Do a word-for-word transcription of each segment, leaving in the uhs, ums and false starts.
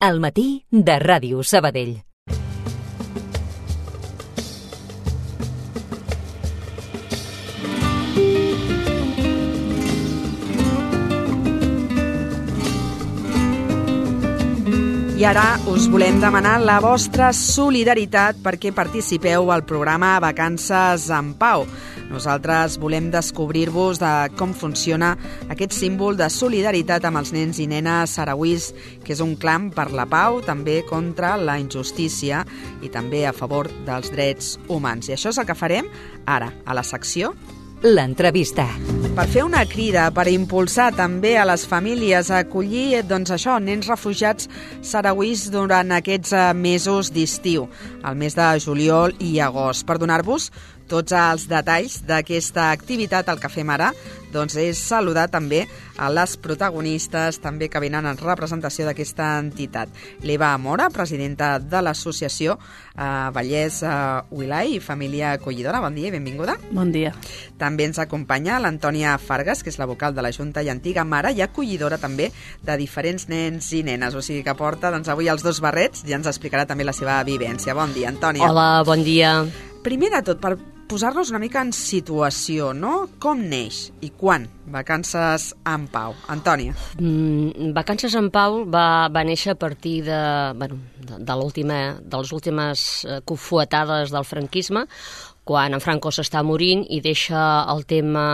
Al matí de Ràdio Sabadell. I ara us volem demanar la vostra solidaritat perquè participeu al programa Vacances en Pau. Nosaltres volem descobrir-vos de com funciona aquest símbol de solidaritat amb els nens i nenes sarauís, que és un clam per la pau, també contra la injustícia i també a favor dels drets humans. I això és el que farem ara, a la secció L'entrevista. Per fer una crida, per impulsar també a les famílies a acollir, doncs això, nens refugiats sarauís durant aquests mesos d'estiu, el mes de juliol i agost. Per donar-vos tots els detalls d'aquesta activitat, el que fem ara, doncs és saludar també a les protagonistes també que venen en representació d'aquesta entitat. L'Eva Mora, presidenta de l'associació eh, Vallès eh, Wilai i Família Acollidora. Bon dia i benvinguda. Bon dia. També ens acompanya l'Antònia Fargas, que és la vocal de la Junta i antiga mare i acollidora també de diferents nens i nenes. O sigui que porta doncs, avui els dos barrets i ens explicarà també la seva vivència. Bon dia, Antònia. Hola, bon dia. Primer de tot, per posar-nos una mica en situació, no? Com neix i quan Vacances en Pau? Antònia. Mm, Vacances en Pau va, va néixer a partir de, bueno, de, de, l'última, de les últimes eh, cofuetades del franquisme, quan en Franco s'està morint i deixa el tema,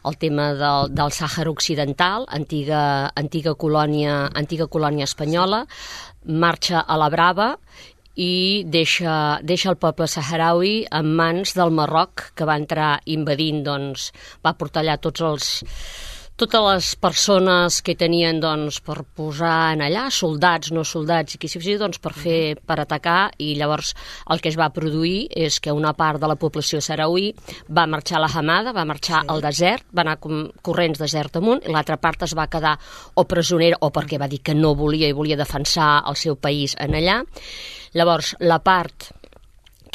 el tema del, del Sàhara Occidental, antiga, antiga, colònia, antiga colònia espanyola, marxa a la Brava i deixa, deixa el poble saharaui en mans del Marroc, que va entrar invadint, doncs, va portar allà tots els, totes les persones que tenien doncs, per posar en allà, soldats, no soldats, i qui sigui, doncs, per fer, per atacar, i llavors el que es va produir és que una part de la població saharaui va marxar a la Hamada, va marxar sí. al desert, va anar corrents desert amunt, i l'altra part es va quedar o presonera, o perquè va dir que no volia i volia defensar el seu país en allà. Llavors, la part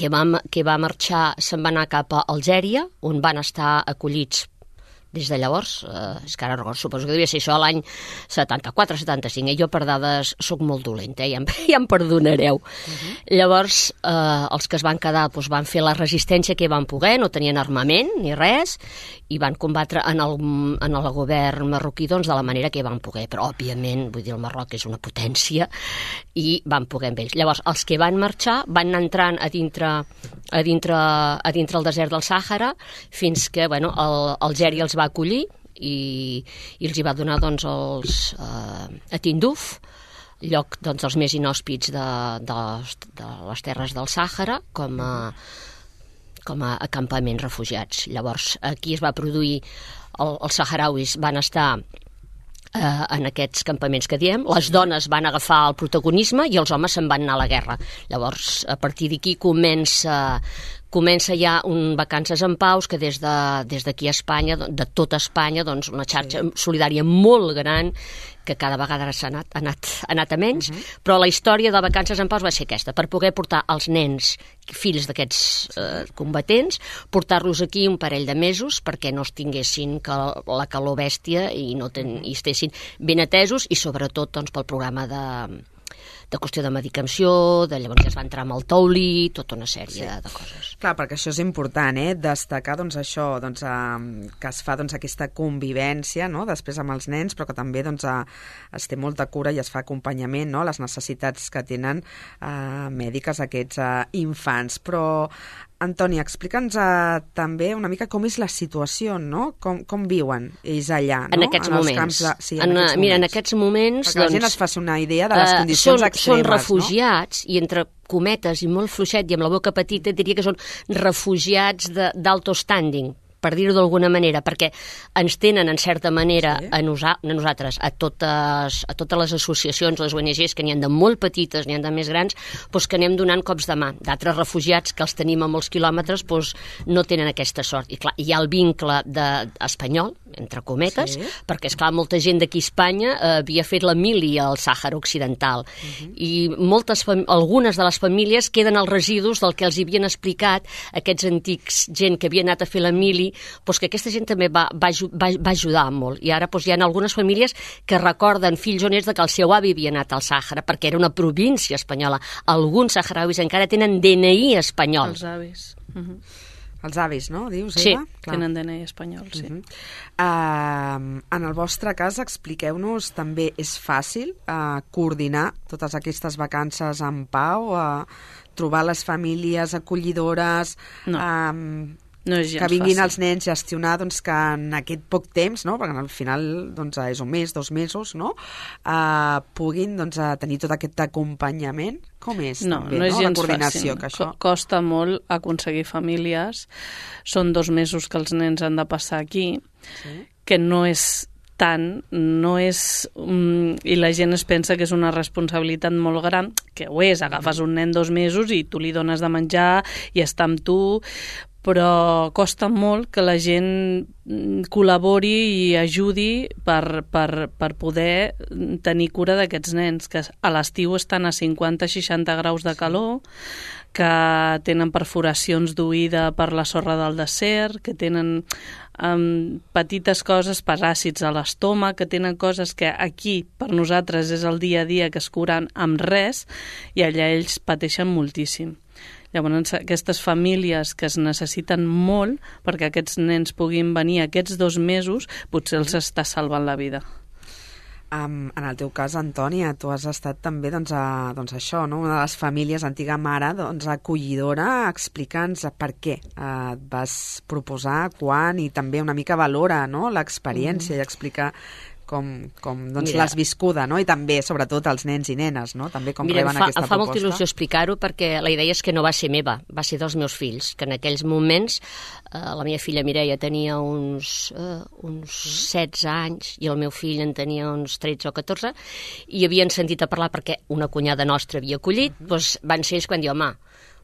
que va, que va marxar se'n va anar cap a Algèria, on van estar acollits des de llavors, eh, és que ara recordo, suposo que devia ser això l'any setanta-quatre setanta-cinc, i jo per dades sóc molt dolenta, eh? ja, em, ja em perdonareu. Uh-huh. Llavors, eh, els que es van quedar doncs, van fer la resistència que van poder, no tenien armament ni res, i van combatre en el, en el govern marroquí doncs, de la manera que van poder, però òbviament, vull dir, el Marroc és una potència, i van poder amb ells. Llavors, els que van marxar van anar entrant a dintre, a dintre, a dintre el desert del Sàhara, fins que, bueno, el, Algèria els va acollir i, i els hi va donar doncs, els, eh, a Tinduf, lloc doncs, els més inhòspits de, de, les, de les terres del Sàhara, com a, com a acampaments refugiats. Llavors, aquí es va produir, el, els saharauis van estar eh, en aquests campaments que diem, les dones van agafar el protagonisme i els homes se'n van anar a la guerra. Llavors, a partir d'aquí comença... Comença ja un Vacances en Pau que des d'aquí de, des a Espanya, de tota Espanya, doncs una xarxa solidària molt gran que cada vegada s'ha anat, ha anat, ha anat a menys, uh-huh. però la història de Vacances en Pau va ser aquesta, per poder portar els nens, fills d'aquests eh, combatents, portar-los aquí un parell de mesos perquè no es tinguessin cal, la calor bèstia i, no ten, i estessin ben atesos i sobretot doncs, pel programa de... de qüestió de medicació, de llavors ja es va entrar amb el taulí, tota una sèrie sí. de, de coses. Clar, perquè això és important, eh? Destacar doncs, això, doncs, eh, que es fa doncs, aquesta convivència, no? Després amb els nens, però que també doncs, eh, es té molta cura i es fa acompanyament, no? Les necessitats que tenen eh, mèdiques aquests eh, infants. Però, Antònia, explica'ns eh, també una mica com és la situació, no? Com, com viuen ells allà, no? En aquests en moments. Camps de... sí, en en, aquests mira, moments. en aquests moments... Perquè doncs, la gent es faci una idea de les uh, condicions són, extremes, són refugiats, no? I entre cometes i molt fluixet i amb la boca petita diria que són refugiats d'alto standing, per dir-ho d'alguna manera, perquè ens tenen, en certa manera, sí. a, nosa a nosaltres, a totes, a totes les associacions, les O N Ges, que n'hi ha de molt petites, n'hi ha de més grans, doncs que anem donant cops de mà. D'altres refugiats que els tenim a molts quilòmetres doncs no tenen aquesta sort. I clar, hi ha el vincle de, espanyol, entre cometes, sí. perquè, esclar, molta gent d'aquí a Espanya eh, havia fet la mili al Sàhara Occidental. Uh-huh. I moltes, algunes de les famílies queden els residus del que els havien explicat aquests antics gent que havia anat a fer la mili doncs que aquesta gent també va, va, va, va ajudar molt. I ara doncs, hi ha algunes famílies que recorden, fills o nets, que el seu avi havia anat al Sàhara, perquè era una província espanyola. Alguns saharauis encara tenen D N I espanyol. Els avis. Uh-huh. Els avis, no? Dius, sí. Eva? Clar. Tenen D N I espanyol, sí. Uh-huh. uh, en el vostre cas, expliqueu-nos, també és fàcil uh, coordinar totes aquestes vacances en pau, uh, trobar les famílies acollidores... No. Um, No és gens que vinguin fàcil. Els nens, gestionar doncs, que en aquest poc temps, no? perquè al final doncs, és un mes, dos mesos, no? uh, puguin doncs, tenir tot aquest acompanyament. Com és? No, també, no és no? gens La coordinació, fàcil. que això... Costa molt aconseguir famílies. Són dos mesos que els nens han de passar aquí, sí. que no és tant, no és... Um, i la gent es pensa que és una responsabilitat molt gran, que ho és, agafes un nen dos mesos i tu li dones de menjar i està amb tu, però costa molt que la gent col·labori i ajudi per, per, per poder tenir cura d'aquests nens, que a l'estiu estan a cinquanta a seixanta graus de calor, que tenen perforacions d'oïda per la sorra del desert, que tenen um, petites coses, paràsits a l'estómac, que tenen coses que aquí per nosaltres és el dia a dia que es curen amb res, i allà ells pateixen moltíssim. Llavors, aquestes famílies que es necessiten molt perquè aquests nens puguin venir aquests dos mesos, potser els està salvant la vida. Um, en el teu cas, Antònia, tu has estat també doncs, a, doncs això, no? Una de les famílies, antiga mare, doncs, acollidora. Explica'ns per què uh, et vas proposar, quan, i també una mica valora, no? l'experiència mm. i explicar com, com doncs, l'has viscuda, no? I també, sobretot, els nens i nenes, no? També com Mira, reben fa, aquesta proposta. Em fa proposta. molta il·lusió explicar-ho perquè la idea és que no va ser meva, va ser dels meus fills, que en aquells moments eh, la meva filla Mireia tenia uns, eh, uns setze anys i el meu fill en tenia uns tretze o catorze i havien sentit a parlar perquè una cunyada nostra havia acollit, uh-huh. doncs van ser ells quan diu, home,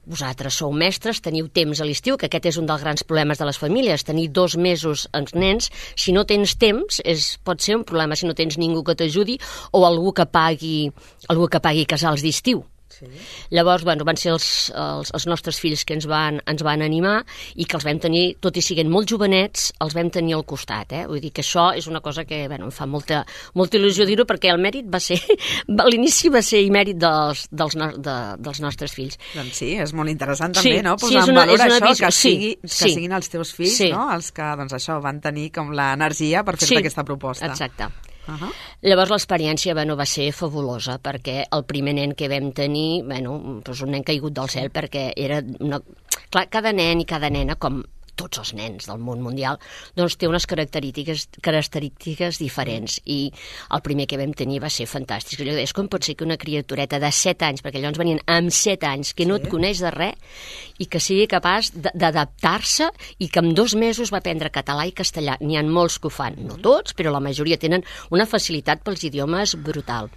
vosaltres sou mestres, teniu temps a l'estiu, que aquest és un dels grans problemes de les famílies, tenir dos mesos els nens, si no tens temps, és, pot ser un problema si no tens ningú que t'ajudi o algú que pagui, algú que pagui casals d'estiu. Sí. Llavors, bueno, van ser els, els, els nostres fills que ens van, ens van animar i que els vam tenir, tot i siguent molt jovenets, els vam tenir al costat, eh? Vull dir que això és una cosa que, bueno, em fa molta, molta il·lusió dir-ho perquè el mèrit va ser, l'inici va ser i mèrit dels, dels, no, de, dels nostres fills. Doncs sí, és molt interessant també, sí, no? Posar sí, en valor això, visió, que, sigui, sí, que sí. siguin els teus fills, sí. no? Els que, doncs això, van tenir com l'energia per fer-te sí, aquesta proposta. Exacte. Uh-huh. Llavors l'experiència bueno, va ser fabulosa perquè el primer nen que vam tenir, bueno, doncs un nen caigut del cel perquè era una... Clar, cada nen i cada nena, com tots els nens del món mundial, doncs té unes característiques, característiques diferents i el primer que vam tenir va ser fantàstic. Jo deia, com pot ser que una criatureta de set anys, perquè allò ens venien amb set anys, que sí. no et coneix de res i que sigui capaç d'adaptar-se i que en dos mesos va aprendre català i castellà. N'hi ha molts que ho fan, no tots, però la majoria tenen una facilitat pels idiomes brutal.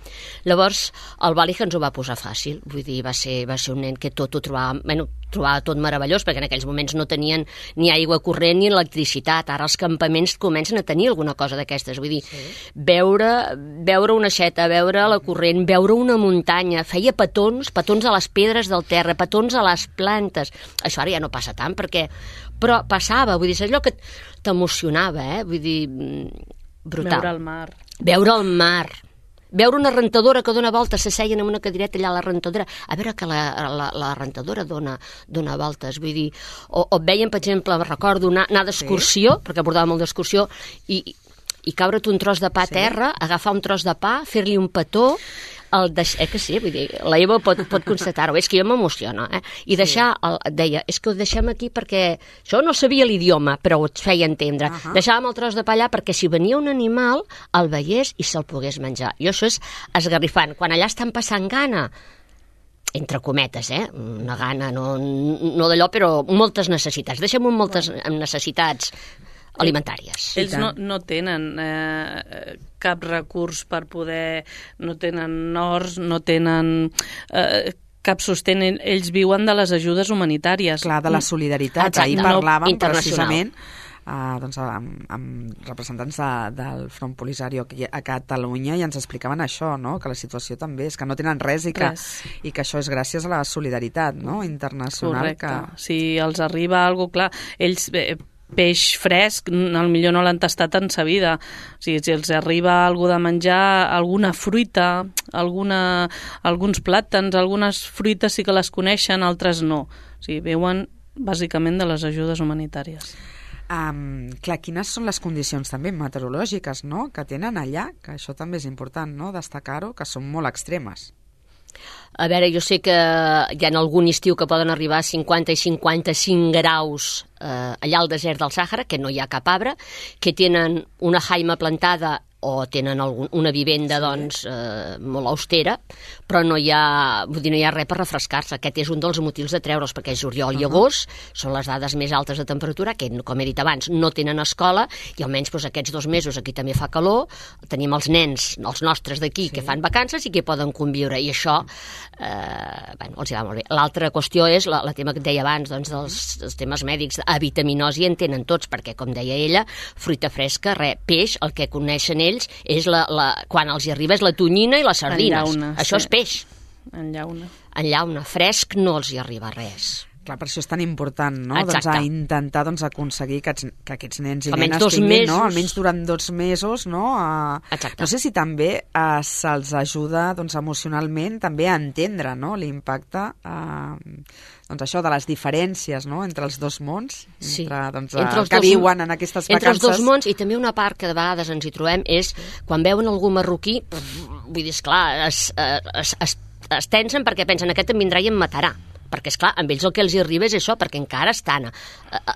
Llavors, el Bàlic ens ho va posar fàcil, vull dir, va ser, va ser un nen que tot ho trobava, bueno, trobava tot meravellós, perquè en aquells moments no tenien ni aigua corrent ni electricitat. Ara els campaments comencen a tenir alguna cosa d'aquestes. Vull dir, sí. veure, veure una aixeta, veure la corrent, veure una muntanya, feia petons, petons a les pedres del terra, petons a les plantes. Això ara ja no passa tant, perquè... Però passava, vull dir, és allò que t'emocionava, eh? Vull dir, brutal. Veure el mar. Veure el mar. Veure una rentadora que dona voltes, s'asseien en una cadireta allà a la rentadora, a veure que la, la, la rentadora dona, dona voltes, vull dir, o, o veiem, per exemple, recordo anar, anar d'excursió, sí. perquè portava molt d'excursió, i, i caure't un tros de pa a sí. terra, agafar un tros de pa, fer-li un petó, el deix... eh que sí, vull dir, la Eva pot, pot constatar-ho, és que jo m'emociono, eh? I deixar, el, deia, és que ho deixem aquí perquè això no sabia l'idioma, però ho et feia entendre. Uh -huh. Deixàvem el tros de pa allà perquè si venia un animal, el veiés i se'l pogués menjar. I això és esgarrifant. Quan allà estan passant gana, entre cometes, eh? Una gana, no, no d'allò, però moltes necessitats. Deixem moltes necessitats alimentàries. Ells no, no tenen eh, cap recurs per poder... No tenen horts, no tenen... Eh, cap sostén. Ells viuen de les ajudes humanitàries. Clar, de la solidaritat. Exacte. Ahir parlàvem no, precisament uh, doncs, amb, amb representants de, del Front Polisario aquí a Catalunya i ens explicaven això, no? Que la situació també és que no tenen res i que, res. i que això és gràcies a la solidaritat, no? Internacional. Correcte. Que... Si els arriba alguna cosa, clar, ells... Bé, peix fresc, potser no l'han tastat en sa vida. O sigui, si els arriba algú de menjar, alguna fruita, alguna, alguns plàtans, algunes fruites sí que les coneixen, altres no. O sigui, veuen bàsicament de les ajudes humanitàries. Um, clar, quines són les condicions també meteorològiques, no?, que tenen allà, que això també és important, no?, destacar-ho, que són molt extremes. A veure, jo sé que hi ha algun estiu que poden arribar a cinquanta i cinquanta-cinc graus eh, allà al desert del Sàhara, que no hi ha cap arbre, que tenen una jaima plantada o tenen algun, una vivenda sí. doncs, eh, molt austera, però no hi ha, vull dir, no hi ha res per refrescar-se. Aquest és un dels motius de treure'ls, perquè juliol uh-huh. i agost són les dades més altes de temperatura, que, com he dit abans, no tenen escola, i almenys doncs, aquests dos mesos aquí també fa calor, tenim els nens, els nostres d'aquí, sí. que fan vacances i que poden conviure, i això eh, bueno, els hi va molt bé. L'altra qüestió és la, la tema que et deia abans, doncs, dels, dels temes mèdics. A vitaminosi en tenen tots, perquè, com deia ella, fruita fresca, res, peix, el que coneixen ells és la, la, quan els hi arriba és la tonyina i les sardines. Llauna, això sí. és peix. En llauna. En llauna. Fresc no els hi arriba res. Clar, per això és tan important, no?, Exacte. doncs, a intentar doncs, aconseguir que, que aquests nens i almenys nenes tinguin, mesos. no?, almenys durant dos mesos, no?, a... no sé si també eh, se'ls ajuda doncs, emocionalment també a entendre, no?, l'impacte eh, doncs això de les diferències, no?, entre els dos mons, sí. entre, doncs, entre els que dos, viuen en aquestes vacances. Entre els dos mons, i també una part que de vegades ens hi trobem és quan veuen algú marroquí, vull dir, esclar, es, es, es, es tensen perquè pensen aquest em vindrà i em matarà. Perquè, esclar, amb ells el que els hi arriba és això, perquè encara estan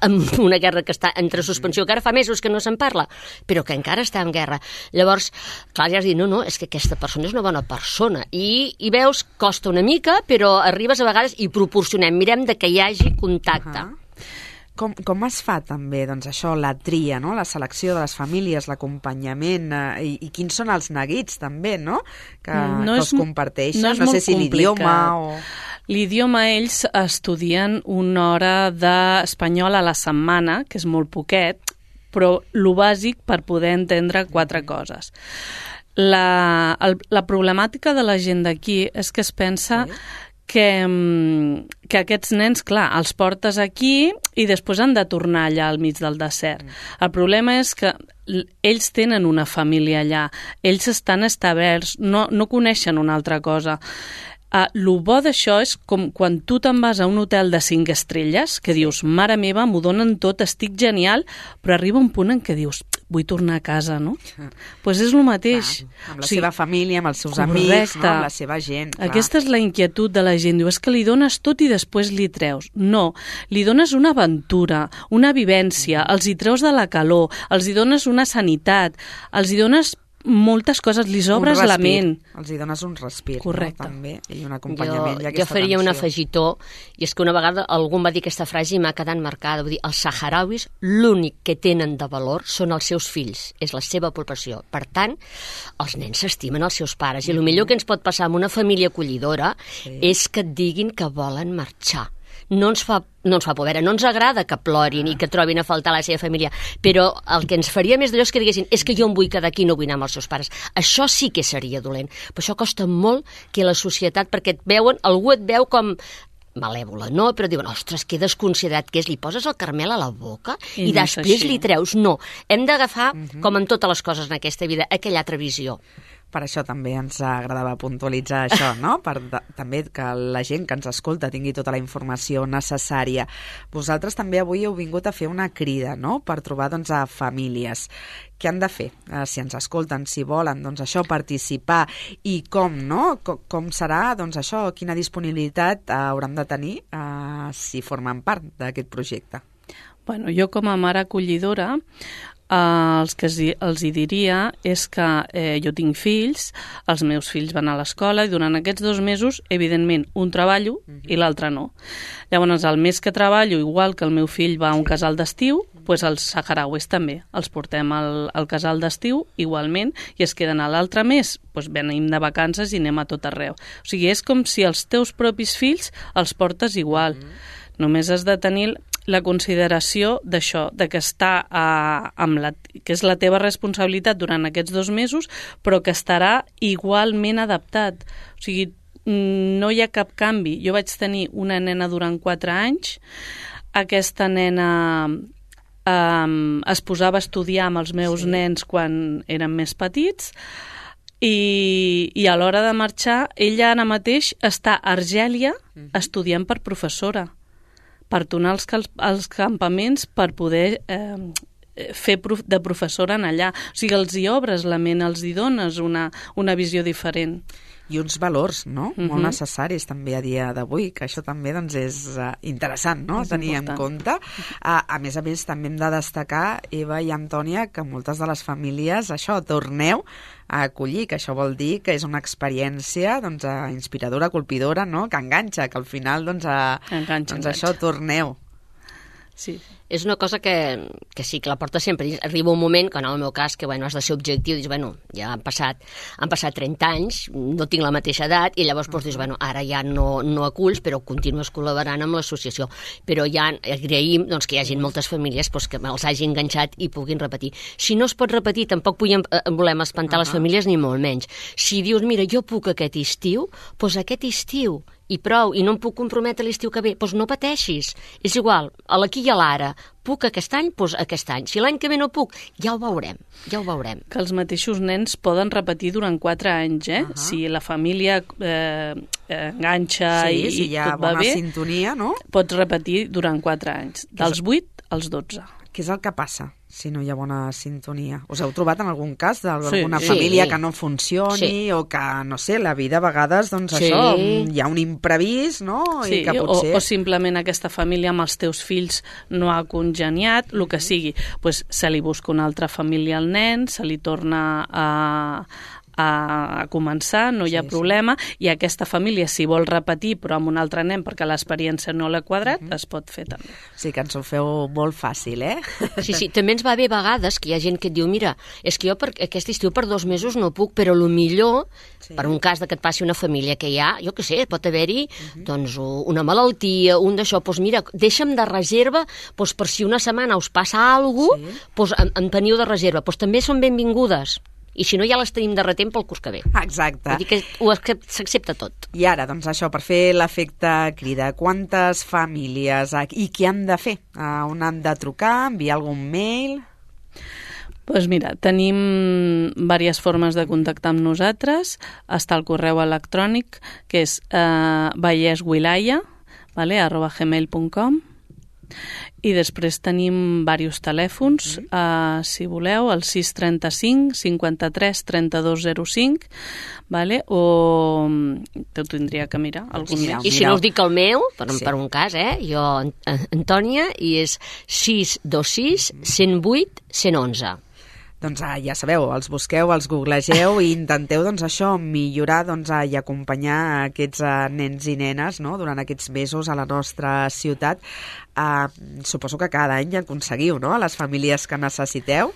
en una guerra que està entre suspensió, que ara fa mesos que no se'n parla, però que encara està en guerra. Llavors, clar, ja has dit, no, no, és que aquesta persona és una bona persona. I, i veus, costa una mica, però arribes a vegades i proporcionem, mirem de que hi hagi contacte. Uh-huh. Com, com es fa també doncs, això, la tria, no?, la selecció de les famílies, l'acompanyament, eh, i, i quins són els neguits també, no?, que, no que és, els comparteixen, no, no sé si l'idioma o... L'idioma ells estudien una hora d'espanyol a la setmana, que és molt poquet, però lo bàsic per poder entendre quatre coses. La, el, la problemàtica de la gent d'aquí és que es pensa sí. que, que aquests nens, clar, els portes aquí i després han de tornar allà al mig del desert. El problema és que ells tenen una família allà, ells estan establerts, no, no coneixen una altra cosa. Uh, lo bo d'això és com quan tu te'n vas a un hotel de cinc estrelles, que dius, mare meva, m'ho donen tot, estic genial, però arriba un punt en què dius, vull tornar a casa, no? Doncs pues és el mateix. Clar, amb la o sigui, seva família, amb els seus correcte. amics, no? Amb la seva gent. Clar. Aquesta és la inquietud de la gent. Diu, és que li dones tot i després li treus. No, li dones una aventura, una vivència, els hi treus de la calor, els hi dones una sanitat, els hi dones moltes coses, li obres la ment. Els hi dones un respir, correcte. No? També, i un acompanyament. Jo, i jo faria atenció. un afegitó, i és que una vegada algú em va dir aquesta frase i m'ha quedat marcada. Vull dir, els saharauis l'únic que tenen de valor són els seus fills, és la seva població. Per tant, els nens s'estimen els seus pares, i el millor que ens pot passar amb una família acollidora sí. és que et diguin que volen marxar. No ens fa no ens fa por, no ens agrada que plorin i que trobin a faltar la seva família, però el que ens faria més d'allò és que diguessin és que jo em vull quedar aquí i no vull anar amb els seus pares. Això sí que seria dolent, però això costa molt que la societat, perquè et veuen, algú et veu com malèvola, no? Però diuen, ostres, que desconsiderat que és, li poses el caramel a la boca i, i no després li treus. No, hem d'agafar, uh-huh. com en totes les coses en aquesta vida, aquella altra visió. Per això també ens agradava puntualitzar això, no? Per de, també que la gent que ens escolta tingui tota la informació necessària. Vosaltres també avui heu vingut a fer una crida, no?, per trobar doncs, a famílies. Què han de fer? Eh, si ens escolten, si volen, doncs això, participar, i com, no? Com, com serà, doncs això, quina disponibilitat eh, hauran de tenir eh, si formen part d'aquest projecte? Bueno, jo com a mare acollidora, Uh, els que els hi diria és que eh, jo tinc fills, els meus fills van a l'escola i durant aquests dos mesos, evidentment, un treballo uh-huh. i l'altre no. Llavors, el mes que treballo, igual que el meu fill va a un casal d'estiu, doncs els saharauis també. Els portem al, al casal d'estiu, igualment, i es queden a l'altre mes, doncs venim de vacances i anem a tot arreu. O sigui, és com si els teus propis fills els portes igual. Uh-huh. Només has de tenir la consideració d'això, de que està a, amb la, que és la teva responsabilitat durant aquests dos mesos, però que estarà igualment adaptat. O sigui, no hi ha cap canvi. Jo vaig tenir una nena durant quatre anys, aquesta nena um, es posava a estudiar amb els meus sí. nens quan eren més petits, i, i a l'hora de marxar, ella ara mateix està a Argèlia uh-huh. estudiant per professora, per tornar als, als campaments per poder eh, fer prof, de professora en allà. O sigui, els hi obres la ment, els hi dones una, una visió diferent. I uns valors, no?, uh-huh. molt necessaris també a dia d'avui, que això també doncs, és uh, interessant, no?, és tenir important. En compte. Uh, a més a més, també hem de destacar, Eva i Antònia, que moltes de les famílies, això, torneu a acollir, que això vol dir que és una experiència doncs, uh, inspiradora, colpidora, no?, que enganxa, que al final, doncs, uh, enganxa, doncs enganxa. això, torneu. Sí. És una cosa que, que sí, que la porta sempre. Arriba un moment, que en el meu cas, que bueno, has de ser objectiu, dius, bueno, ja han passat, han passat trenta anys, no tinc la mateixa edat, i llavors pues, dius, bueno, ara ja no, no aculls, però continues col·laborant amb l'associació. Però ja agraïm doncs, que hi hagi moltes famílies pues, que els hagi enganxat i puguin repetir. Si no es pot repetir, tampoc podem, eh, volem espantar uh-huh. les famílies, ni molt menys. Si dius, mira, jo puc aquest estiu, doncs aquest estiu, i prou, i no em puc comprometre l'estiu que ve, doncs no pateixis. És igual, a l'aquí i a l'ara. Puc aquest any? Doncs aquest any. Si l'any que ve no puc, ja ho veurem, ja ho veurem. Que els mateixos nens poden repetir durant quatre anys, eh? Uh-huh. Si la família eh, enganxa sí, i, si i tot va bé, sintonia, no? Pots repetir durant quatre anys, dels vuit als dotze. Què és el que passa si no hi ha bona sintonia? Us heu trobat en algun cas d'alguna sí, família sí. que no funcioni sí. o que, no sé, la vida a vegades, doncs sí. això, hi ha un imprevist, no? Sí, I que potser... o, o simplement aquesta família amb els teus fills no ha congeniat, el que sigui. Pues, se li busca una altra família al nen, se li torna a... a començar, no hi ha sí, problema, sí. i aquesta família, si vol repetir, però amb un altre nen, perquè l'experiència no l'ha quadrat, uh-huh. es pot fer també. Sí, que ens ho feu molt fàcil, eh? Sí, sí, també ens va bé a vegades que hi ha gent que et diu, mira, és que jo per aquest estiu per dos mesos no puc, però el millor, sí. per un cas de que et passi una família que hi ha, jo què sé, pot haver-hi uh-huh. doncs, una malaltia, un d'això, doncs mira, deixa'm de reserva, doncs per si una setmana us passa alguna cosa, sí. doncs en, en teniu de reserva, doncs també són benvingudes. I si no, ja les tenim de retent pel curs que ve. Exacte. Vull dir que ho s'accepta tot. I ara, doncs això, per fer l'efecte crida, quantes famílies i què han de fer? On han de trucar, enviar algun mail? Doncs pues mira, tenim diverses formes de contactar amb nosaltres. Està el correu electrònic, que és eh, valleswilaya, vale, arroba gmail punt com. I després tenim diversos telèfons, mm. uh, si voleu, el sis trenta-cinc cinquanta-tres trenta-dos zero cinc, vale? O te ho tindria que mirar algun sí, més. I si no us dic el meu, per, sí. per un cas, eh? Jo, Antònia, i és sis dos sis cent vuit cent onze. Doncs ah, ja sabeu, els busqueu, els googlegeu i intenteu doncs, això, millorar doncs, ah, i acompanyar aquests ah, nens i nenes, no?, durant aquests mesos a la nostra ciutat. Ah, suposo que cada any aconseguiu, no?, a les famílies que necessiteu.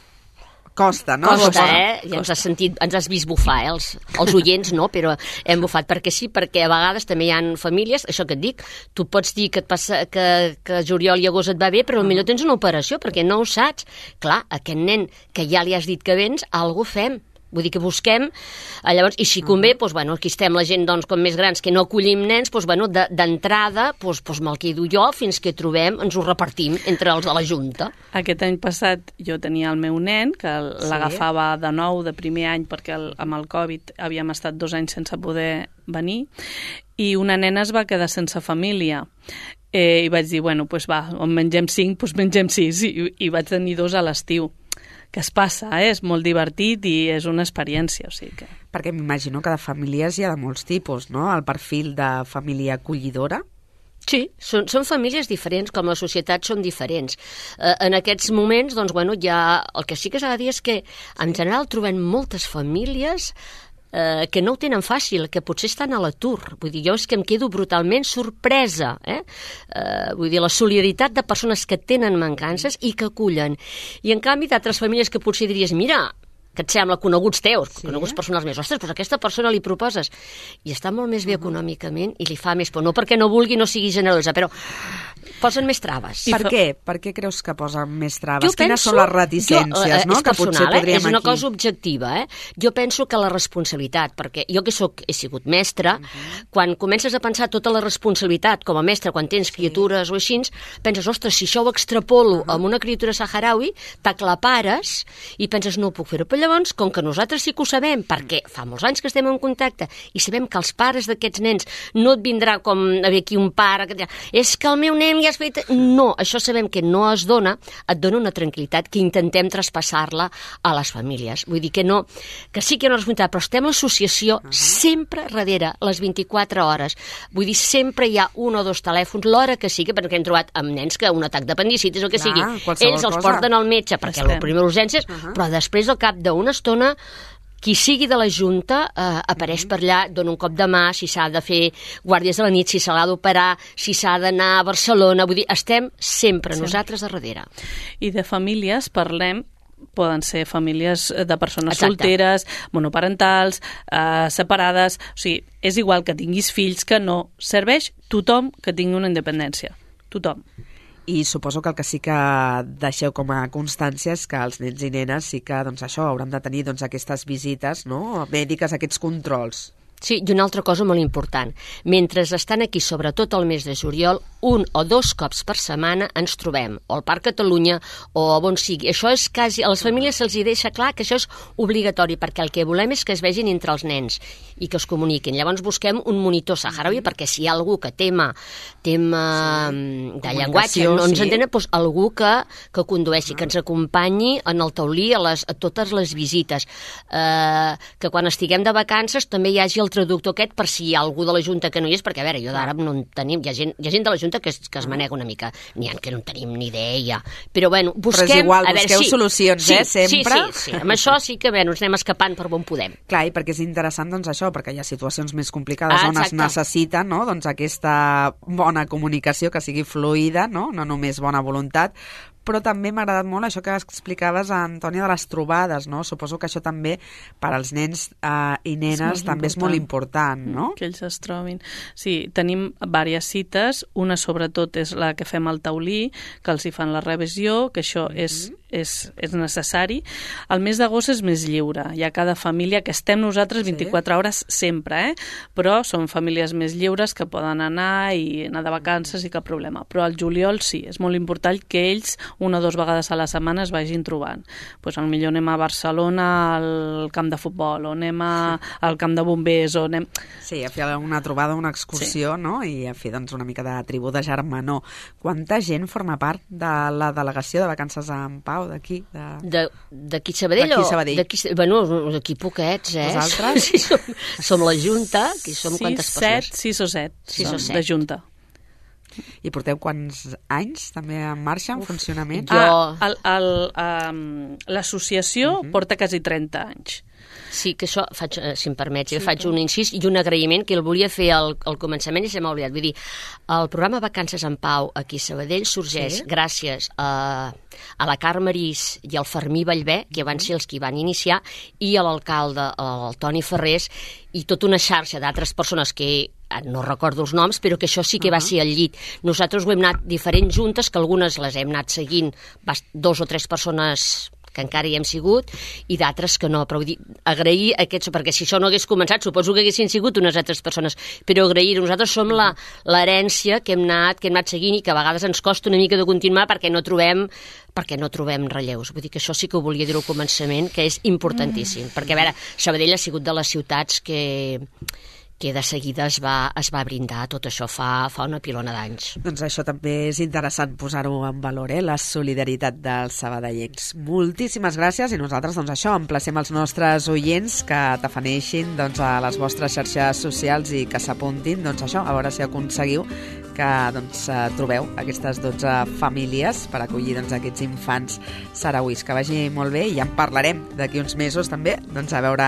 Costa, no? Costa, eh? Ja ens has sentit, ens has vist bufar, eh? Els, els oients no, però hem bufat, perquè sí, perquè a vegades també hi ha famílies, això que et dic, tu pots dir que, et passa, que, que juliol i agost et va bé, però potser tens una operació, perquè no ho saps. Clar, aquest nen que ja li has dit que vens, alguna cosa fem. Vull dir que busquem, eh, llavors, i si convé, doncs, bueno, aquí estem la gent doncs, com més grans que no acollim nens, doncs, bueno, d'entrada doncs, doncs, me'l quedo jo fins que trobem, ens ho repartim entre els de la Junta. Aquest any passat jo tenia el meu nen, que l'agafava de nou, de primer any, perquè el, amb el Covid havíem estat dos anys sense poder venir, i una nena es va quedar sense família. Eh, I vaig dir, bueno, doncs va, on mengem cinc, doncs mengem sis, i, i vaig tenir dos a l'estiu. Que es passa, eh? És molt divertit i és una experiència, o sigui que... Perquè m'imagino que de famílies hi ha de molts tipus, no? El perfil de família acollidora. Sí, són, són famílies diferents, com la societat són diferents. Eh, en aquests moments, doncs, bueno, ja, el que sí que s'ha de dir és que, en general, trobem moltes famílies eh, que no ho tenen fàcil, que potser estan a l'atur. Vull dir, jo és que em quedo brutalment sorpresa, eh? Eh, vull dir, la solidaritat de persones que tenen mancances i que acullen. I, en canvi, d'altres famílies que potser diries, mira, que et sembla coneguts teus, sí. coneguts personals més, ostres, doncs aquesta persona li proposes, i està molt més bé uh-huh. econòmicament i li fa més por, no perquè no vulgui, no sigui generosa, però posen més traves. Per què? Per què creus que posen més traves? Jo Quines penso, són les reticències, jo, eh, no? És que personal, potser podríem eh? És una aquí... cosa objectiva. Eh? Jo penso que la responsabilitat, perquè jo que soc, he sigut mestra, uh -huh. quan comences a pensar tota la responsabilitat com a mestre, quan tens criatures sí. o així, penses, ostres, si això ho extrapolo uh -huh. amb una criatura saharaui, t'aclapares i penses, no ho puc fer-ho. Però llavors, com que nosaltres sí que ho sabem, perquè fa molts anys que estem en contacte i sabem que els pares d'aquests nens no et vindrà com haver aquí un pare que és que el meu nen ja has fet... No, això sabem que no es dona, et dona una tranquil·litat que intentem traspassar-la a les famílies. Vull dir que no, que sí que hi ha una responsabilitat, però estem a l'associació uh -huh. sempre darrere, les vint-i-quatre hores. Vull dir, sempre hi ha un o dos telèfons, l'hora que sigui, perquè hem trobat amb nens que un atac d'apendicitis o que Clar, sigui. Ells els cosa. porten al metge perquè la primera urgència, uh -huh. però després, al cap d'una estona, qui sigui de la Junta eh, apareix per allà, dona un cop de mà, si s'ha de fer guàrdies de la nit, si se l'ha d'operar, si s'ha d'anar a Barcelona, vull dir, estem sempre sí. nosaltres a darrere. I de famílies parlem, poden ser famílies de persones Exacte. solteres, monoparentals, eh, separades, o sigui, és igual que tinguis fills que no, serveix tothom que tingui una independència, tothom. I suposo que el que sí que deixeu com a constància és que els nens i nenes sí que doncs, això hauran de tenir doncs, aquestes visites no? mèdiques, aquests controls. Sí, i una altra cosa molt important. Mentre estan aquí, sobretot el mes de juliol, un o dos cops per setmana ens trobem, o al Parc Catalunya o on sigui. Això és quasi... A les famílies se'ls deixa clar que això és obligatori, perquè el que volem és que es vegin entre els nens i que es comuniquin. Llavors busquem un monitor saharaui, perquè si hi ha algú que tema, tema sí. de llenguatge, no ens sí. entén, doncs algú que, que condueixi, que ens acompanyi en el taulí a, les, a totes les visites. Eh, que quan estiguem de vacances també hi hagi el traductor aquest per si hi ha algú de la Junta que no hi és, perquè a veure, jo d'àrab no en tenim, hi ha gent, hi ha gent de la Junta que es, que es manega una mica, n'hi ha que no en tenim ni idea, però bueno, busquem... Però és igual, a veure, busqueu sí, solucions, sí, eh, sempre. Sí, sí, sí, amb això sí que bé, ens anem escapant per on podem. Clar, i perquè és interessant doncs això, perquè hi ha situacions més complicades ah, on es necessita no? doncs aquesta bona comunicació que sigui fluida, no, no només bona voluntat, però també m'ha agradat molt això que explicaves, Antònia, de les trobades, no? Suposo que això també per als nens eh, i nenes és també important. És molt important, no? Que ells es trobin. Sí, tenim diverses cites, una sobretot és la que fem al taulí, que els hi fan la revisió, que això mm-hmm. és, és, és necessari. El mes d'agost és més lliure, hi ha cada família, que estem nosaltres vint-i-quatre sí. hores sempre, eh? Però són famílies més lliures que poden anar i anar de vacances i cap problema. Però al juliol sí, és molt important que ells una o dues vegades a la setmana es vagin trobant. Pues, potser anem a Barcelona al camp de futbol, o anem a, al camp de bombers, o anem... Sí, a fer una trobada, una excursió, sí. no? I a fer doncs, una mica de tribu de germanor. Quanta gent forma part de la delegació de Vacances en Pau d'aquí? De... D'aquí Sabadell? D'aquí Sabadell. D'aquí, bueno, d'aquí poquets, eh? Vosaltres? Sí, som, som la Junta, que som sis, quantes set, persones? sis o set, sis o set. de Junta. I porteu quants anys també en marxa, en Uf, funcionament? Jo... Ah, um, l'associació uh-huh. porta quasi trenta anys. Sí, que això, faig, si em permets, sí, jo faig un incís i un agraïment que el volia fer al, al començament i se m'ha oblidat. Vull dir, el programa Vacances en Pau aquí a Sabadell sorgeix sí. gràcies a, a la Carme Arís i al Fermí Vallvé, que van ser els que hi van iniciar, i a l'alcalde, el Toni Ferrés, i tota una xarxa d'altres persones que no recordo els noms, però que això sí que uh-huh. va ser al llit. Nosaltres ho hem anat diferents juntes, que algunes les hem anat seguint dos o tres persones que encara hi hem sigut, i d'altres que no, però vull dir, agrair aquests, perquè si això no hagués començat, suposo que haguessin sigut unes altres persones, però agrair-ho. Nosaltres som la, l'herència que hem anat, que hem anat seguint i que a vegades ens costa una mica de continuar perquè no trobem perquè no trobem relleus. Vull dir que això sí que ho volia dir al començament, que és importantíssim, mm. perquè a veure, Sabadell ha sigut de les ciutats que que de seguida es va, es va brindar tot això fa, fa una pilona d'anys. Doncs això també és interessant posar-ho en valor, eh? La solidaritat dels sabadellencs. Moltíssimes gràcies, i nosaltres doncs això, emplacem els nostres oients que t'afaneixin doncs, a les vostres xarxes socials i que s'apuntin, doncs això, a veure si aconseguiu que doncs, trobeu aquestes dotze famílies per acollir doncs, aquests infants sarauís. Que vagi molt bé, i ja en parlarem d'aquí uns mesos també, doncs, a veure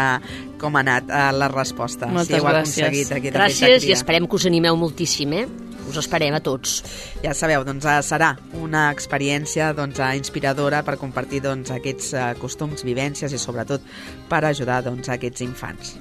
com ha anat eh, la resposta. Moltes si gràcies. Gràcies i esperem que us animeu moltíssim, eh? Us esperem a tots. Ja sabeu, doncs serà una experiència doncs, inspiradora per compartir doncs, aquests costums, vivències i sobretot per ajudar doncs, aquests infants.